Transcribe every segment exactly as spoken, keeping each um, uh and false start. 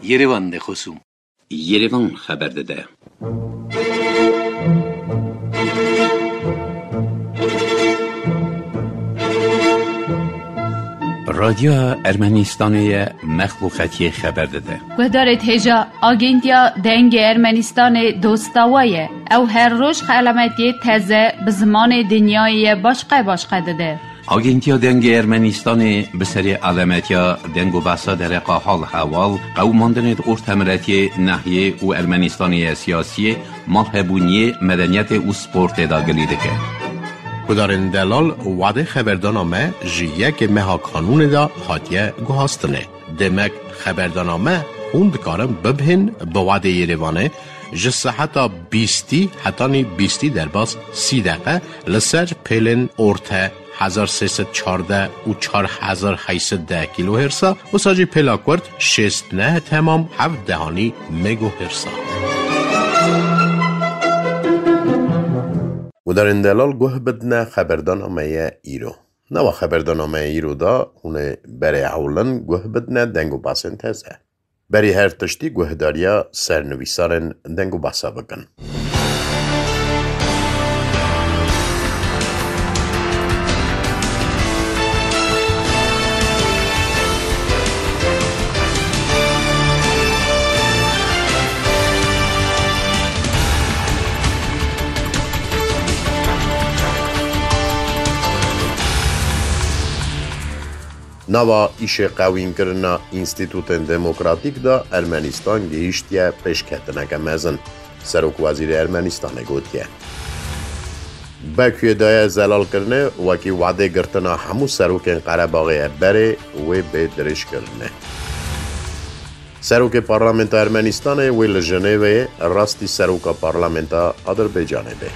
Yerevan de xosûm. Yerevan xeber dide. Radyoya Ermenistanê ye, mexluqetiyê xeber dide. Guhdarê hêja, Agentiya Dengê Ermenistanê dosta we ye. Ew her roj xelametiyê teze bi zimanê dinyayê ye başqe başqe dide. Agentiya Dengê Ermenistanê bi serê alemetiya deng û behsa dereqa hal hewal, qewimandinê di ortemiretiyê, nehiyê û Ermenistanê ye siyasiyê, malhebûniyê, medeniyetê û sportê de gilî dike. Gudarên delal, wadê xeberdana me ji yekê meha kanûnê de hatiye guhastinê. Demek xeberdana me hûn dikarin bibihên bi wadê Yerevanê ji seheta bîstî hetanî bîstî derbas sî deqe li ser pêlên orte hezar sê sed çardeh û çar hezar heyt sed deh kîlohêrsa, wisa jî pêla kurt şêst neh temam heft dehanî megohêrsa. Gudarên delal, guh bidine xeberdana me ye îro. Nava xeberdana me îro de hûn ê berê ewlin guh bidine deng û basên teze. Berî her tiştî guhdariya sernivîsarên deng û basa bikin. Nava îşê qewînkirina înstîtûtên demokratîk de Ermenistan gihîştiye pêşketineke mezin, Serokwezîrê Ermenistanê gotiye. Bakuyê daye zelalkirinê, wekî wadê girtina hemû serokên Qerebaxê ye berê wê bê dirêjkirinê. Serokê Parlamenta Ermenistanê wê li Jenêveyê rastî seroka Parlamenta Adirbaycanê bê.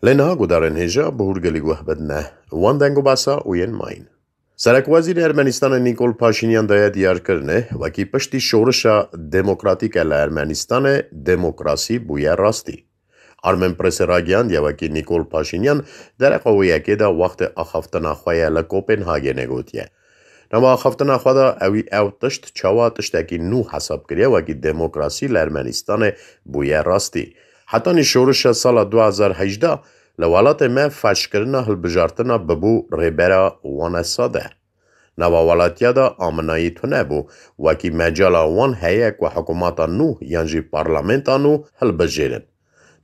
Lê niha gudarên hêja bi hûrgilî guh bidine wan deng û basa û yên mayîn. Serekwezîrê Ermenistanê Nîkol Paşînyan daye diyarkirinê, wekî piştî şorişa demokratîk e li Ermenistanê, demokrasî bûye rastî. Armen Pressê ragihandiye, wekî Nîkol Paşînyan dereqa wê yekê de wextê axaftina xwe ye li Kopenhagenê gotiye. Nava axaftina xwe de ewî ew tişt çawa tiştekî nû hesab kiriye, wekî demokrasî li Ermenistanê bûye rastî. Hetanî şorişa sala du hezar hejdeh li welatê me feşkirina hilbijartina bibû rêbera wane sade. Nava welatiya de aminayî tune bû, wekî mecala wan heye ku hikûmeta nû yan jî parlamenta nû hilbijêrin.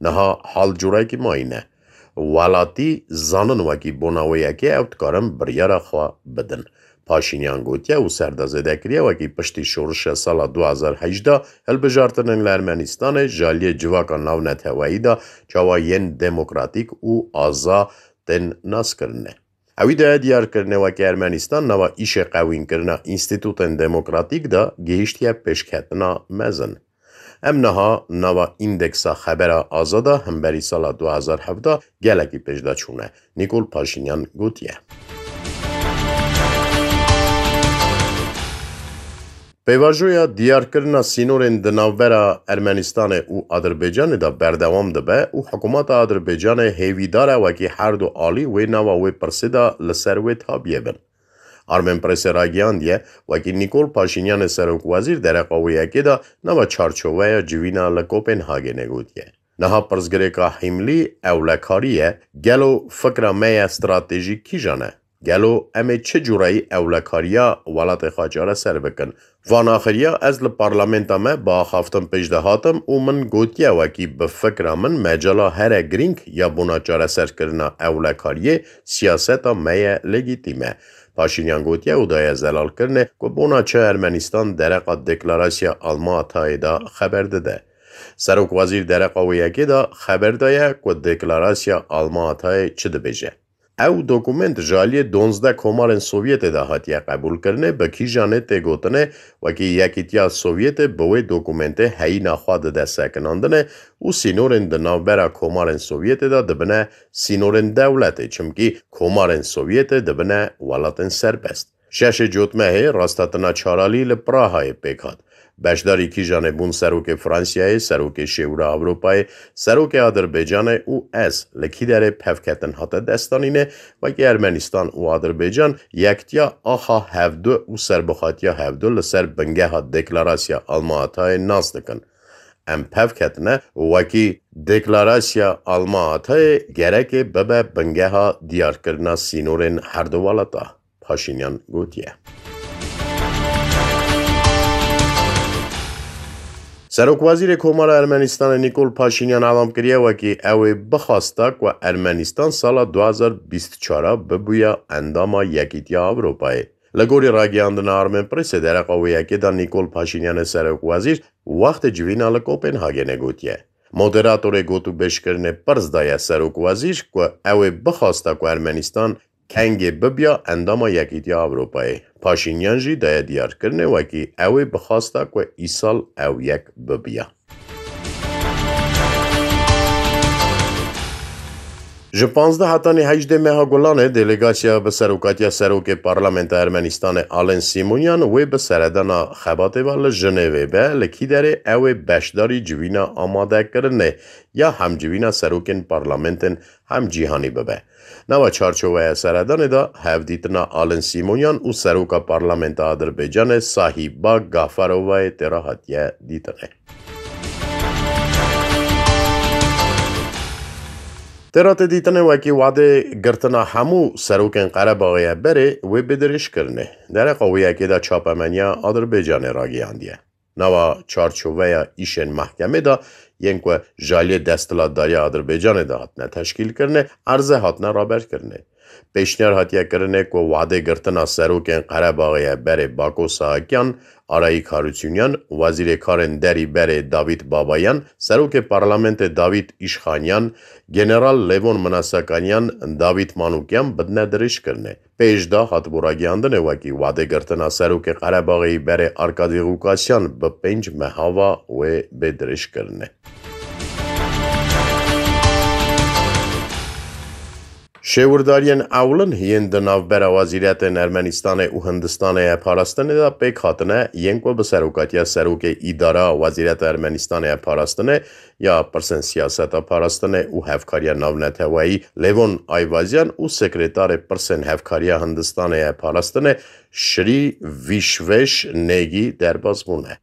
Niha hal curekî mayî ne. Welatî zanin wekî bona wê yekê ew dikarin biryara xwe bidin. Paşînyan gotiye û ser de zêde kiriye, wekî piştî şorişa sala du hezar hejdeh hilbijartinên li Ermenistanê ji aliyê civaka navneteweyî de çawa yên demokratîk û aza tên naskirinê. Ewî daye diyarkirinê, wekî Ermenistan nava îşê qewînkirina înstîtûtên demokratîk de gihîştiye pêşketina mezin. Em niha nava îndeksa xebera azada hemberî sala du hezar hevdeh gelekî pêş de çûne, Nîkol Paşînyan gotiye. Pêvajoya diyarkirina sînorên di navbera Ermenistanê û Adirbaycanê de berdewam dibe û hikûmeta Adirbaycanê hêvîdar e wekî her du alî wê nava wê pirsê de li ser wê tabiyê bin. Armen Pressê ragihandiye, wekî Nîkol Paşînyanê serokwezîr dereqa wê yekê de nava çarçoveya civîna li Kopenhagenê gotiye. Niha pirsgirêka hîmlî ewlekarî ye, gelo fikra me ya stratejîk kîjan e? Gelo em ê çi cureyî ewlekariya welatê xwe çareser bikin? Van axiriya ez li parlamenta me bi axaftin pêş de hatim û min gotiye, wekî bi fikra min mecala here girîng ya bona çareserkirina ewlekariyê siyaseta me ye legîtîm e. Paşînyan gotiye û daye zelalkirinê ku bona çi Ermenistan dereqa deklarasya Alma Atayê de xeber dide. Serokwezîr dereqa wê yekê de xeber daye ku deklarasya Alma Atayê çi dibêje. Ew dokument ji aliyê donzdeh komarên Sovyetê de hatiye qebûlkirinê, bi kîjanê tê gotinê, wekî Yekîtiya Sovyetê bi wê dokumentê heyîna xwe dide sekinandinê û sînorên di navbera komarên Sovyetê de dibine sînorên dewletê, çimkî komarên Sovyetê dibine welatên serbest. Şeşê Cotmehê rastetina çaralî li Prahayê pêk hat. Beşdarî kîjan e bûn serokê Fransiyayê, serokê Şêwira Ewropayê, serokê Adirbaycanê û ez li kî derê pevketin hate destanîne, wekî Ermenistan û Adirbaycan yektiya axa hevdu û serbixatiya hevdu li ser bingeha deklarasya Alma Atayê nas dikin. Em pevketine û wekî deklarasya Alma Atayê gerekê bibe bingeha diyarkirina sînorên her du welata. Paşînyan gotiye. Serokwezîrê Komara Ermenistanê Nîkol Paşînyan elam kiriye wekî ew ê bixwasta ku Ermenistan sala du hazar bîst û çar bibûya endama Yekîtiya Ewropayê. Li gorî ragihandina Armen Pressê dereqa wê yekê de Nîkol Paşînyanê serokwezîr wextê civîna li Kopenhagenê gotiye. Moderatorê gotûbêjkirinê pirs daye serokwezîr ku ew ê bixwasta ku Ermenistan kengê bibiya endama Yekîtiya Ewropayê. Paşînyan jî daye diyarkirinê wekî ew ê bixwasta ku îsal ew yek bibiya. Ji panzdeh hetanî hejdê meha Gulanê delegasiya bi serokatiya serokê Parlamenta Ermenistanê Alen Sîmonyan wê bi seredana xebatê ve li Jinêvê be, li kî derê ew ê beşdarî civîna amadekirinê ya hemcivîna serokên parlamentên hem cîhanî bibe. Nava çarçoveya seredanê de hevdîtina Alin Sîmonyan û seroka Parlamenta Adirbaycanê Sahiba Gafarovayê tê re hatiye dîtinê. Tê re tê dîtinê wekî wadê girtina hemû serokên Qerebaxê ye berê wê bê dirêjkirinê. Dereqa wê yekê de çapemeniya Adirbaycanê ragihandiye. Nava çarçoveya îşên mehkemê de yên ku ji aliyê desthilatdariya Adirbaycanê de hatine teşkîlkirinê, erze hatine raberkirinê. Pêşniyar hatiye kirinê ku wadê girtina serokên Qerebaxê ye berê Bako Sahakyan, Arayik Harutyunyan, Wezîrê Karên Derî berê Davît Babayan, Serokê Parlamentê Davît Îşxanyan, General Levon Minasakanyan, Davît Manukyan bidine dirêjkirinê. Pêş de hatibû ragihandinê wekî wadê girtina serokê Qerebaxê yî berê Arkadî Rûkasyan bi pênc meha ve wê bê dirêjkirinê. Şêwirdariyên ewlin yên di navbera wezîretên Ermenistanê û Hindistanê ye parastinê de pêk hatine, yên ku bi serokatiya serokê îdara wezîreta Ermenistanê ye parastinê, ya pirsên siyaseta parastinê û hevkariya navneteweyî Levon Ayvazyan û sekretarê pirsên hevkariya Hindistanê ye parastinê Şirî Vîşveş Negî derbas bûne.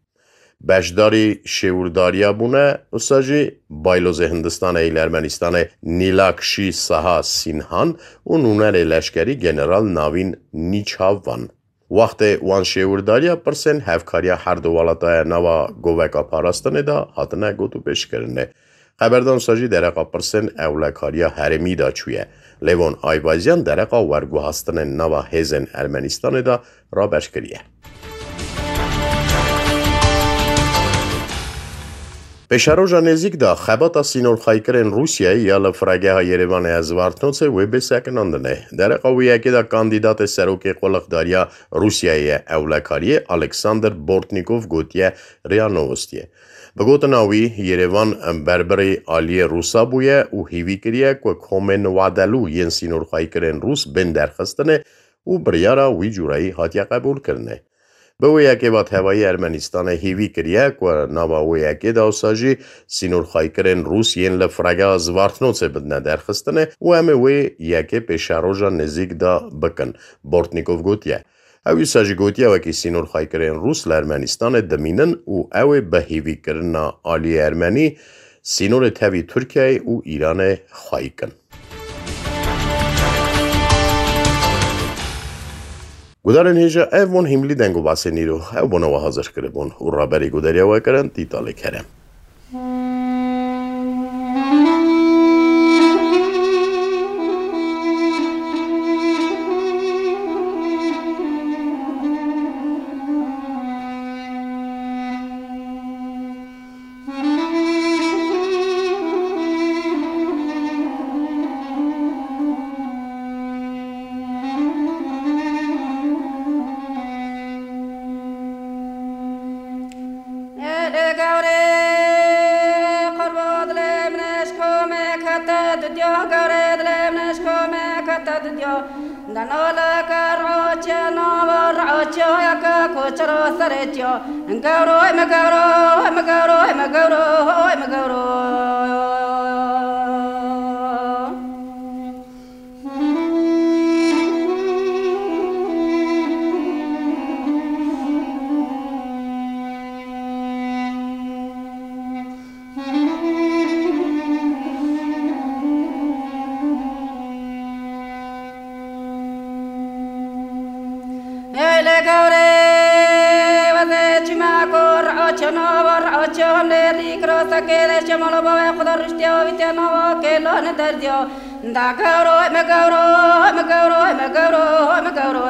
Beşdarî şêwirdariya bûne, usa jî baylozê Hindistanê yê li Ermenistanê Nîlakşî Saha Sînhan û nûnerê leşkerî General Navîn Nîçavan. Wextê wan şêwirdariya pirsên hevkariya her du welataya nava goveka parastinê de hatine gotûbêjkirinê. Xeberdan sa jî dereqa pirsên ewlekariya herêmî de çûye. Lêvon Ayvazyan dereqa werguhastinên nava hêzên Ermenistanê de raber kiriye. Pêşeroja nêzîk de xebata sînorxaykirin Rûsyayê ya li firegeha Yerêvanê ya Zvartnotsê wê bê sekinandinê. Dereqa wê yekê de kandîdatê serokê qulixdariya Rûsyayê ye ewlekariyê Alexander Bortnîkov gotiye, RIA Nowostiye. Bi gotina wî, Yerêvan berbirî aliyê Rûsa bûye û hîvî kiriye ku komên wadelû yên sînorxaykirin Rûs bên derxistinê û biryara wî cûreyî hatiye qebûlkirinê. Bi wê yekê ve tevayî Ermenistanê hîvî kiriye ku nava wê yekê de wisa jî sînorxaykirin Rûs yên li firegeha Zvartnotsê bidine derxistinê û em ê wê yekê pêşeroja nêzîk de bikin, Bortnîkov gotiye. Ew wisa jî gotiye, wekî sînorxaykirin Rûs li Ermenistanê dimînin û ew ê bi hîvîkirina aliyê Ermenî sînorê tevî Tirkiyeyê û Îranê xwayî kin. Gudarên hêja, ev bûn hîmlî deng û basên îro. Ew bona we hazir kiribûn û raberî gudariya we kirin Tîtalê Kerem. Dano leke roçe nava roçe yeke koçero serê çiyo. Gevroy me gevroy me gevroy me gevroy me gevroy. Ey le gawrê, wezê çima ku r'o çeno, r'o çon lê rîk ro sekê lê şemolo bavê xwe de riştiya wî tê nava kêlo ne derdiyo. Da gawro, me gawro, me gawro, me gawro, me gawro.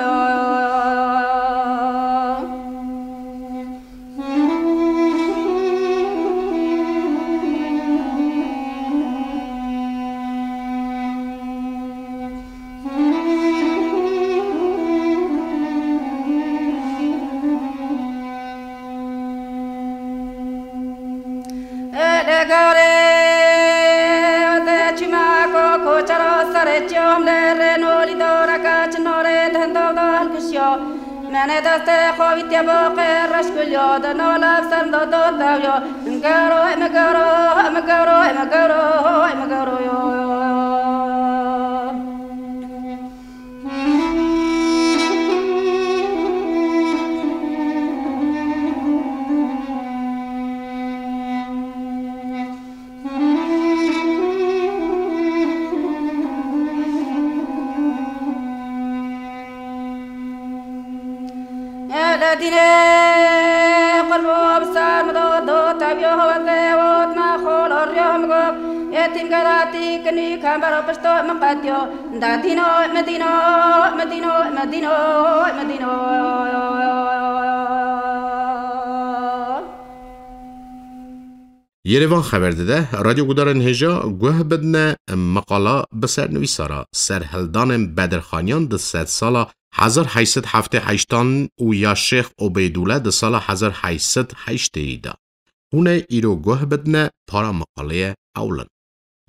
Ê, dê gawrê, wezê çima ko koçero serê çiyom lê rê nolî doreke çi norê dendo dal kişiyo. Menê destê xwe vîtiye bo qê reş kuliyo, de no lev ser do do tevyo. Gawro, me gawro, me gawro, me gawro, me gawro yo. Ele dînê qurbo bi ser min do, do teviyo hewetê got me xolo riyo min got, ê tîmgeratî kinî kembero pişto min qetiyo. Da dîno, me dîno, me dîno, me dîno, me dîno. Yerevan xeber dide, radyo gudarên hêja guh bidine meqala bi sernivîsa re, serhildanên Bedirxaniyan di sedsala hezar heyt sed heftê heştan û ya Şêx Obeydûle di sala hezar heyt sed heştêyî de. Hûn ê îro guh bidine para meqaleyê ewlin.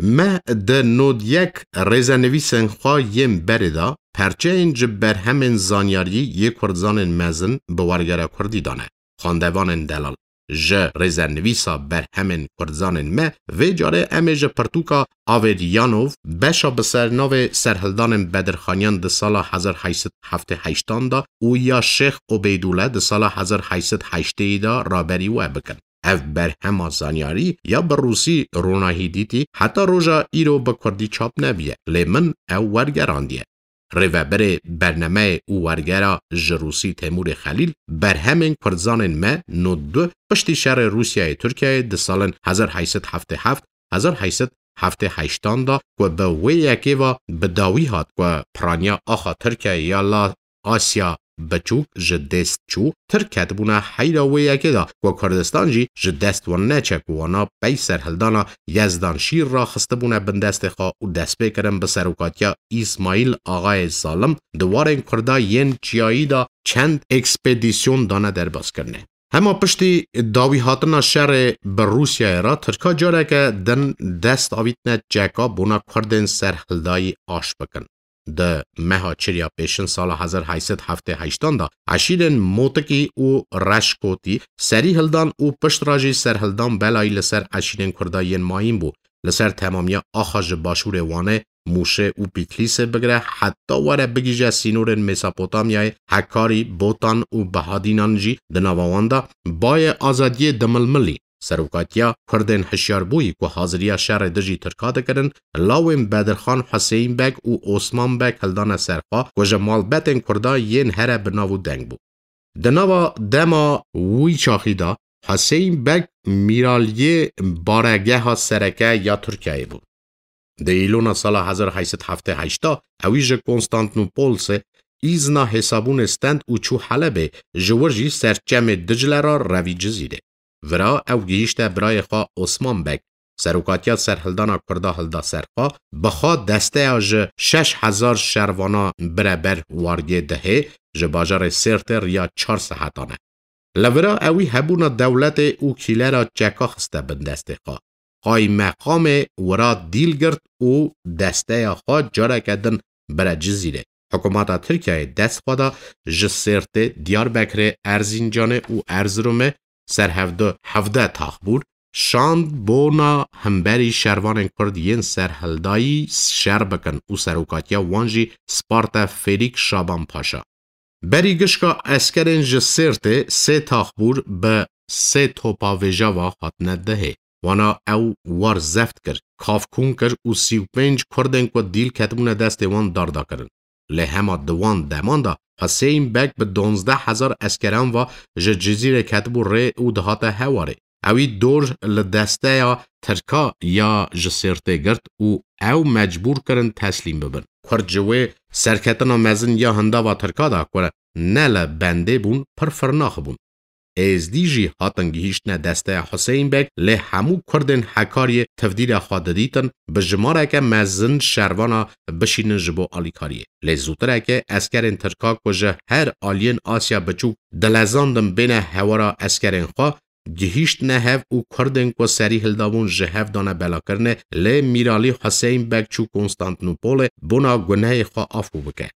Me di nod yek rêzenivîsên xwe yên berê de perçeyên ji berhemên zanyarî yê Kurdzanên mezin bi wergera Kurdî dane. Xwendevanên delal, ji rêzenivîsa berhemên Kurdzanên me, vê carê em ê ji pirtûka Averyanov, beşa bi sernavê Serhildanên Bedirxaniyan di sala hezar heyt sed heftê heştan de û ya Şêx Obeydûle di sala hezar heyt sed heştêyî de raberî we bikin. Ev berhema zanyarî ya bi rûsî ronahî dîtî heta roja îro bi kurdî çap nebûye, lê min ew wergerandiye. Rêveberê bernameyê û wergera ji rûsî Temûrê Xelîl, berhemên Kurdzanên me nod du piştî şerê Rûsyayê Tirkiyeyê di salên hezar heyt sed heftê heft, hezar heyt sed heftê heştan de ku bi wê yekê ve bi dawî hat ku piraniya axa Tirkiyeyê ya la Asya Biçûk ji dest çû, Tirk ketibûne heyra wê yekê de ku Kurdistan jî ji dest wan neçe ku wana pey serhildana Yezdan Şîr re xistibûne bin destê xwe û destpê kirin bi serokatiya Îsmaîl Axayê Zalim di warên Kurda yên çiyayî de çend ekspedîsyon dane derbazkirinê. Hema piştî dawîhatina şerê bi Rûsyayê re Tirka careke din dest avîtine çeka bona Kurdên serhildayî aş bikin. Di meha Çirya Pêşin sala hezar heyt sed heftê heştan de eşîrên Motikî û Reşkotî serî hildan û pişt re jî serhildan belayî li ser eşîrên Kurda yên mayîn bû. Li ser temamiya axa ji başûrê Wanê, Mûşê û Pîtlîsê bigire heta were bigihîje sînorên Mesopotamyayê, Hekarî, Botan û Bihadînan jî di nava wan de bayê azadiyê dimilmilî. Serokatiya Kurdên hişyarbûyî ku haziriya şerê dijî Tirka dikirin, lawên Bedirxan Huseyîn Beg û Osman Beg hildane ser xwe ku ji malbetên Kurda yên here bi nav û deng bû. Di nava dema wî çaxî de Huseyîn Beg mîraliyê baregeha sereke ya Tirkiyeyê bû. Di Îlona sala hezar heyt sed heftê heşt de ewî ji Konstantnopolsê îzna hêsabûnê stend û çû Helebê, ji wir jî ser çemê Dicle re revî Cizîrê. Vira ew gihîşte birayê xwe Osman Beg. Serokatiya serhildana Kurda hilda ser xwe, bi xwe desteya ji şeş hezar şervana bire ber wargê dihê ji bajarê Sêrtê riya çar sehatan e. Li vira ewî hebûna dewletê û kîlera çeka xiste bin destê xwe. Qaymeqamê wira dîl girt û desteya xwe careke din bire Cizîrê. Hikûmeta Tirkiyeyê dest xwe da ji Sêrtê, Diyarbekirê, Erzîncanê û Erziromê ser hevdu hevdeh taxbûr şand bona hemberî şervanên Kurd yên serhildayî şer bikin û serokatiya wan jî sparte Fêlîk Şaban Paşa. Berî gişka eskerên ji Sêrtê sê taxbûr bi sê topa vêjava hatine dihê. Wana ew war zeft kir, kafkûn kir û sî û pênc Kurdên ku dîl ketibûne destê wan darda kirin. Lê hema di wan deman de Huseyîn Beg bi duwazdeh hezar eskeran ve ji Cizîrê ketibû rê û dihate Hewarê. Ewî dor li desteya Tirka ya ji Sêrtê girt û ew mecbûr kirin teslîm bibin. Kurd ji wê serketina mezin ya hindava Tirka de ku ne li bendê bûn, pir firnax bûn. Êzdî jî hatin gihîştine desteya Huseyîn Beg, lê hemû Kurdên Hekariyê tivdîra xwe didîtin, bi jimareke mezin şervana bişînin ji bo alîkariyê. Lê zûtireke eskerên Tirka ku ji her aliyên Asya Biçûk dilezandin bêne hewara eskerên xwe, gihîştine hev û Kurdên ku serî hildabûn ji hev dane belakirinê, lê Mîralî Huseyîn Beg çû Konstantînopolê bona gunehê xwe afû bike.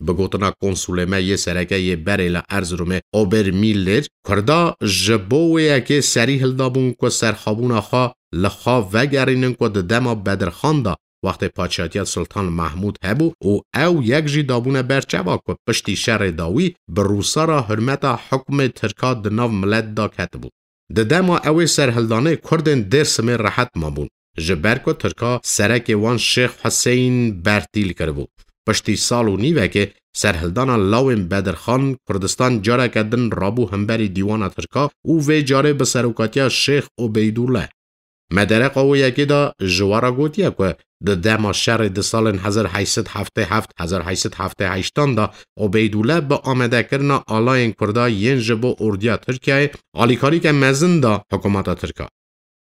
Bi gotina konsulê me yê sereke yê berê li Erziromê Obermiller, Kurda ji bo wê yekê serî hildabûn ku serxwebûna xwe li xwe vegerînin ku di dema Bedirxan de wextê paşatiya Sultan Mahmûd hebû û ew yek jî dabûne ber çava ku piştî şerê dawî bi Rûsa re hurmeta hikûmê Tirka di nav milet de ketibû. Di dema ew ê serhildanê Kurdên Dêrsimê rehet mabûn, ji ber ku Tirka serekê wan Şêx Huseyîn bertîl kiribû. Piştî sal û nîvekê serhildana lawên Bedirxan, Kurdistan careke din rabû hemberî dîwana Tirka û vê carê bi serokatiya Şêx Obeydûle. Me dereqa wê yekê de ji we re gotiye ku di dema şerê di salên hezar heyşt sed heftê heft, hezar heyşt sed heftê heştan de Obeydûle bi amadekirina alayên Kurda yên ji bo ordiya Tirkiyeyê alîkarîke mezin da hikûmeta Tirk a.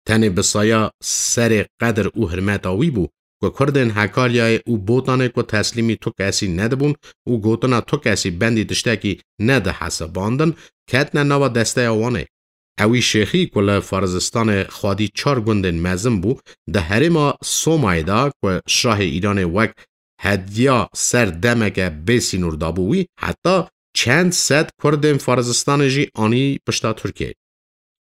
Tenê bi saya serê qedir û hirmeta wî bû ku Kurdên Hekariyayê û Botanê ku teslîmî tu kesî nedibûn û gotina tu kesî bendî tiştekî nedihesibandin, ketine nava desteya wan ê. Ewî Şêxî ku li Farizistanê xwedî çar gundên mezin bû, di herêma Somayê de ku şahê Îranê wek hediya ser demeke bê sînor dabû wî, heta çend sed Kurdên Farizistanê jî anî pişta Tirkiyeyê.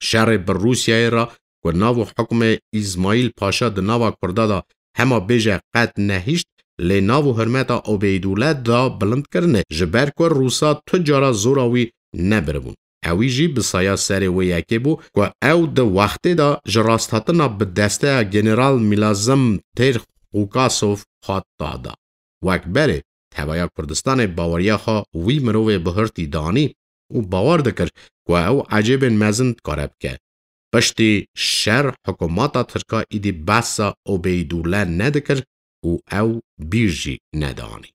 Şerê bi Rûsyayê re ku nav û hukmê Îsmaîl Paşa di nava Kurda de hema bêje qet nehişt, lê nav û hurmeta Obeydûle da bilind kirine, ji ber ku Rûsa tu cara zora wî nebiribûn. Ewî jî bi saya serê wê yekê bû ku ew di wextê de ji rasthatina bi desteya General Milazim Têr Xûkasov hat dada. Wek berê, Tevaya Kurdistanê baweriya xwe wî mirovê bihurtî danî û bawer dikir ku ew ecêbên mezin dikare bike. Piştî şer hikûmeta Tirka îdî behsa Obeydûle nedikir û ew bîr jî nedianî.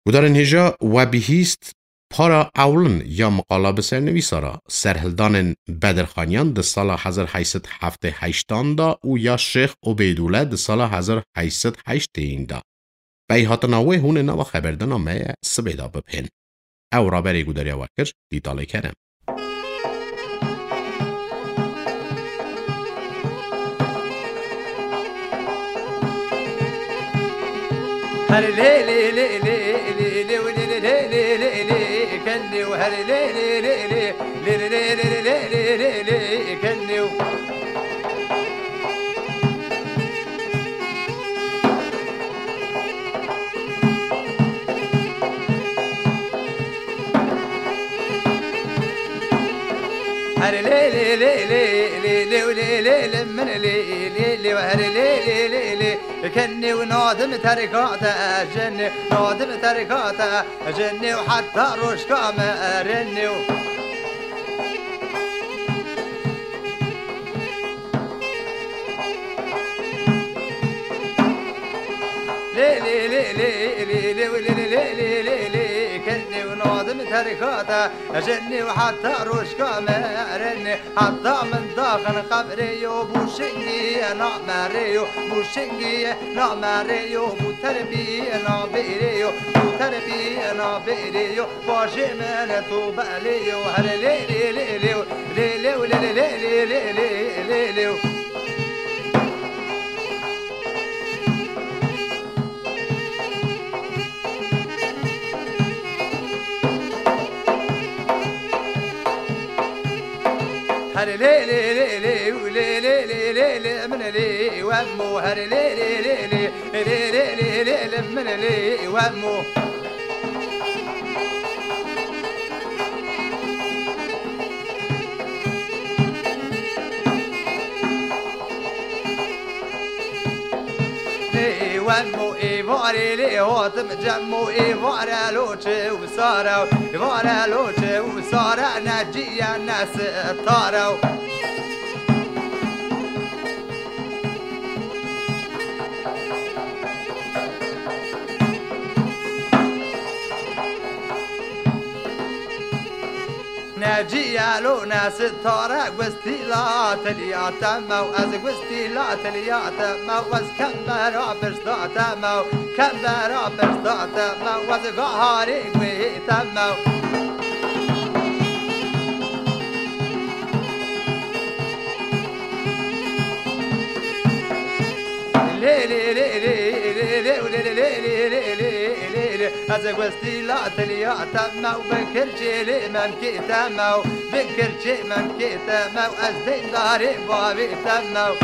Gudarên hêja, we bihîst para ewlin ya miqala bi sernivîsa re, serhildanên Bedirxaniyan di sala hezar heyşt sed heftê heştan de û ya Şêx Obeydûle di sala hezar heyşt sed heştêyîn de. Pey hatina wê hûn ê nava xeberdana me ye sibê de bibihên. Ew raberê gudariya we kir, Dîtalê Kerem. Her lê lê lê lê lê lê lê lê lê lê lê lê lê, kenê û her lê lê lê lê lê lê lê lê lê lê lê lê lê, kenê û. Her lê lê lê lê lê lê lê lê lê lê min lê lê lê, her lê lê lê lê, kenê û nadim terka te, jenê nadim terka te, jenê û heta rojka me, renê û. Lê lê lê lê lê lê lê lê lê lê lê lê, kenê û nadim terka te, jenê û heta rojka me, renê, heta min daxin qebrê yo, bû şingî ye namerê yo, bû şingî ye namerê yo, bû terbî ye nabêrê yo, bû terbî ye nabêrê yo. Bajê min tu belê yo, her lê lê lê lê, lê lê lê lê lê lê lê lê lê. Lê lê lê lê û lê lê lê lê lê min lê wemo her lê lê lê lê lê lê lê lê lê lê min lê wemo. Ê wemo êvarê lê hatim cemo êvare loçe û sare û êvare loçe û sare neciye nesitare û. Neciyelo nesitare gustîla tiliya te mew ez gustîla tiliya te mew ez kembera pişta te mew kembera pişta te mew ez gaharê guhê te mew. Lê lê lê lê lê lê lê lê lê lê lê lê lê lê lê. Ez gustîla tiliya te mew bi kirçê lê memkê te mew bi kirçê memkê te mew ez deyndarê bavê te mew.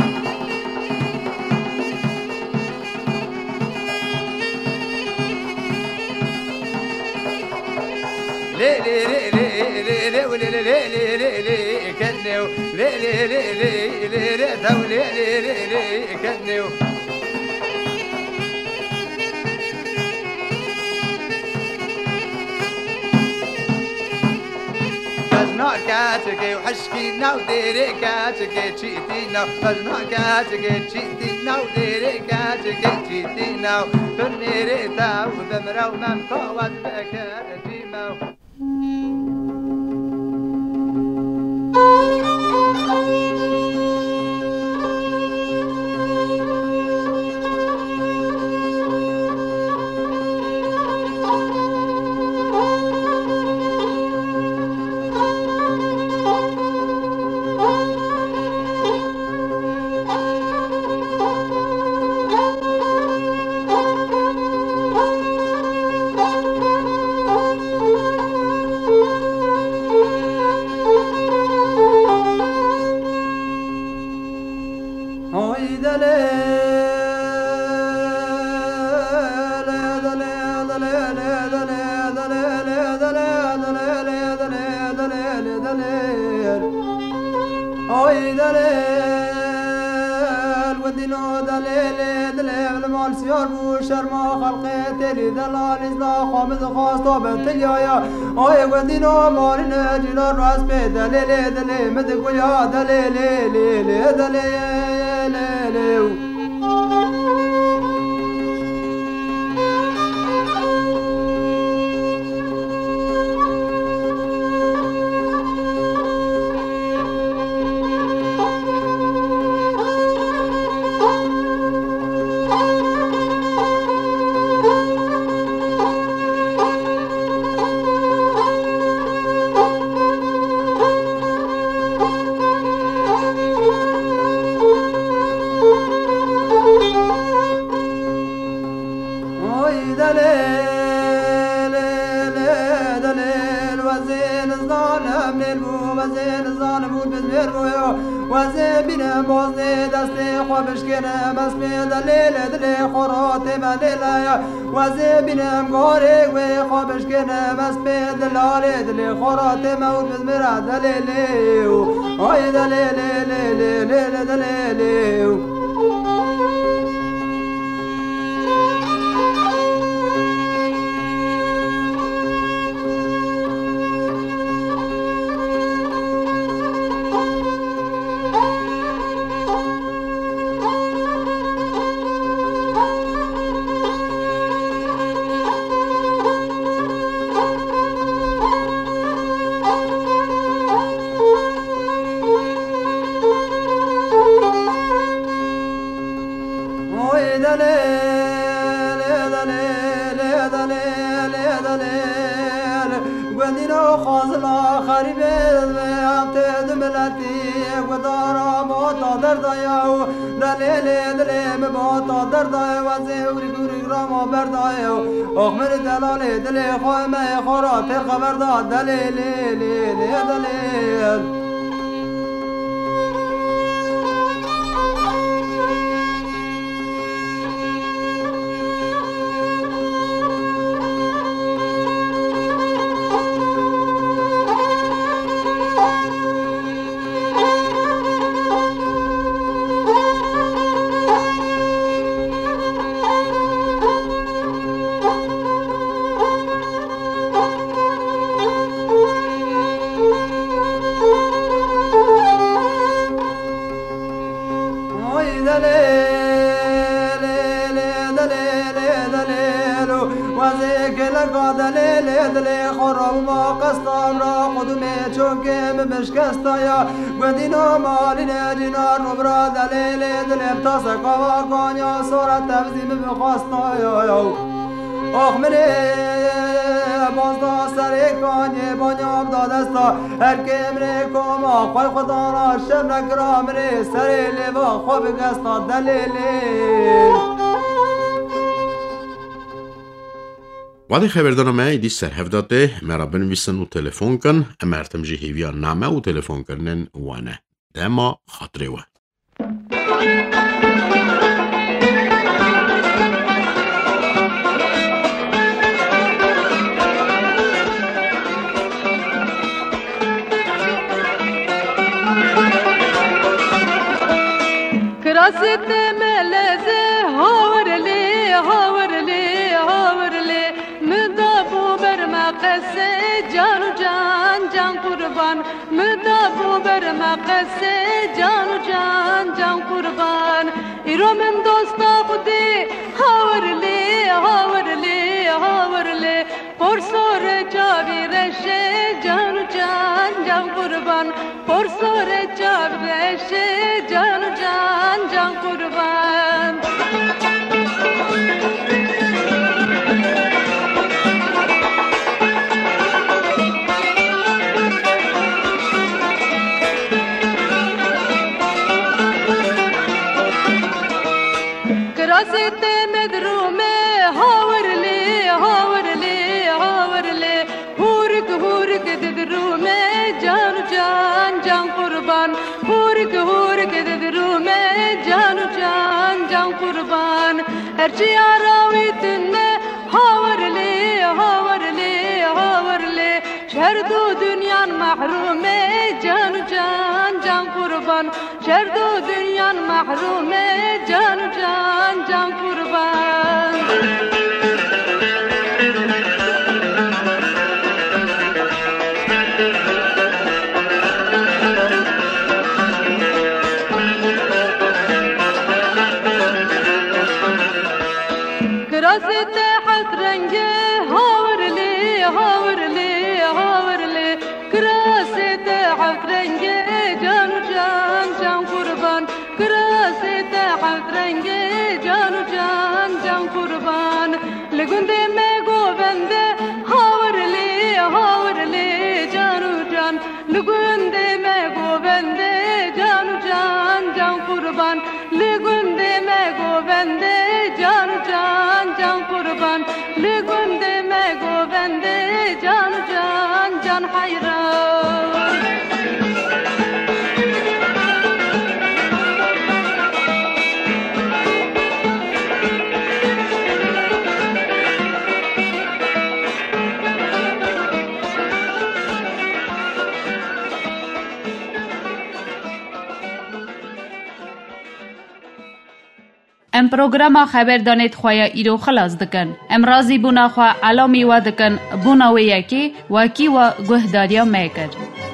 Lê lê lê lê lê lê lê lê lê lê lê lê lê ketnê û lê lê lê lê lê lê tew lê lê lê lê ketnê û. Bejna keçikê û hişkî nav dêrê keçikê çîtî nav bejna keçikê çîtî nav dêrê keçikê çîtî nav tu nêrê te û bimrew memka wez bikir. Oy delêl, gundîno delêlê, dilê min mal siyar bû, şerma xelqê têlî delal, îzna xwe min dixwast, to bi tilyaya. Oy gundîno marîne cîna rast pê delêlê, dilê min diguya delêlê, lê, lê, delê, lê, lê. Oy delê, lê, lê, delê, wezê nizanim nêr bû, wezê nizanim û bizmêr bû yo. Wezê bînim boznê destê xwe bişkênim, ez pê delê, lê, dilê xwe ra tême lê laya. Wezê bînim garê wê xwe bişkênim, ez pê dilalê dilê xwe ra tême û bizmêra delê lê. Ay delê, lê, lê, lê, lê, lê, delê lê. Oy delê, lê delê, lê delê, lê delê. Gundîno xazila xerîbê ve tê du miletî gudara bota derdaya û delê lê dilê min bota derdaya wezê ûrik ûrik rama berdaya û ox min delalê dilê xwe me xora têr xeber da delê lê lê lê delê. Wezê geleka delê lê dilê xwe rabûma qesta bira qudumê çokê min bişkesta ya. Gundîno malî necîna rûbira delê lê dilê bi taseka va kanya sora tevzî min bixwesta ya. Ox minê bazda serê kanyê banya bida desta her kê minê koma xwe xwe dana şev nekira minê serê lêva xwe bigesta delê lê. Wadê xeberdana me êdî ser hev de tê, me re binivîsin û telefon kin. Em her tim jî hêviya name û telefonkirinên we ne. Dema xatirê we. Kirasê te meleze, hawirlê, hawirlê, hawirlê. Min da bû ber me qesê, can û can, can qurban. Min da bû ber me qesê, can û can, can qurban. Îro min dosta Xwedê, hawirlê, hawirlê, hawirlê. Porsorê çavî reşê, can û can, can qurban. Porsorê çavî reşê, can û can, can qurban. Kirasê te me dirûme, hawirlê, hawirlê, hawirlê. Hûrik, hûrik didrûme, can û can, can qurban. Hûrik, hûrik didrûme, can û can, can qurban. Her çi ya rawî tune, hawirlê, hawirlê, hawirlê. Ji her du dunyan mehrûme, can û can, can qurban. Ji her du dunyan mehrûme, can û can, can qurban. Kirasê te heft renge, hawirlê, hawirlê, hawirlê. Kirasê te heft renge, can û can, can qurban. Kirasê te heft renge, can û can, can qurban. Li gundê me govende, hawirlê, hawirlê, can û can. Li gundê me govende, can û can, can qurban. Li gundê me govende, can û can, can qurban. Li gundê me govende, can û can, can heyran. Em programa xeberdanê di xwe ya îro xilas dikin. Em razîbûna xwe elamî we dikin, bûna wê yekê wekî we guhdariya me kir.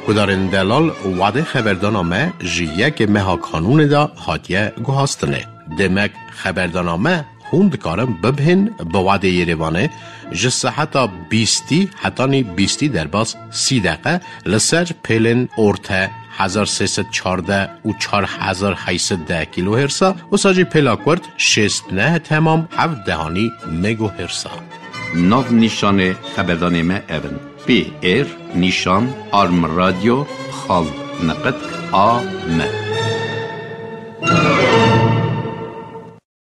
Guhdarên delal, wadê xeberdana me ji yekê meha Kanûnê de hatiye guhastinê. Demek xeberdana me hûn dikarin bibihên bi wadê Yerêvanê ji seheta bîstî hetanî bîstî derbas sî deqe li ser pêlên orte hezar sê sed çardeh û çar hezar heyt sed deh kîlohêrsa, wisa jî pêla kurt şêst neh temam heft dehanî megohêrsa. Nav nîşanê xeberdanê me ev in: P R nîşan arm radio xal neqet A M.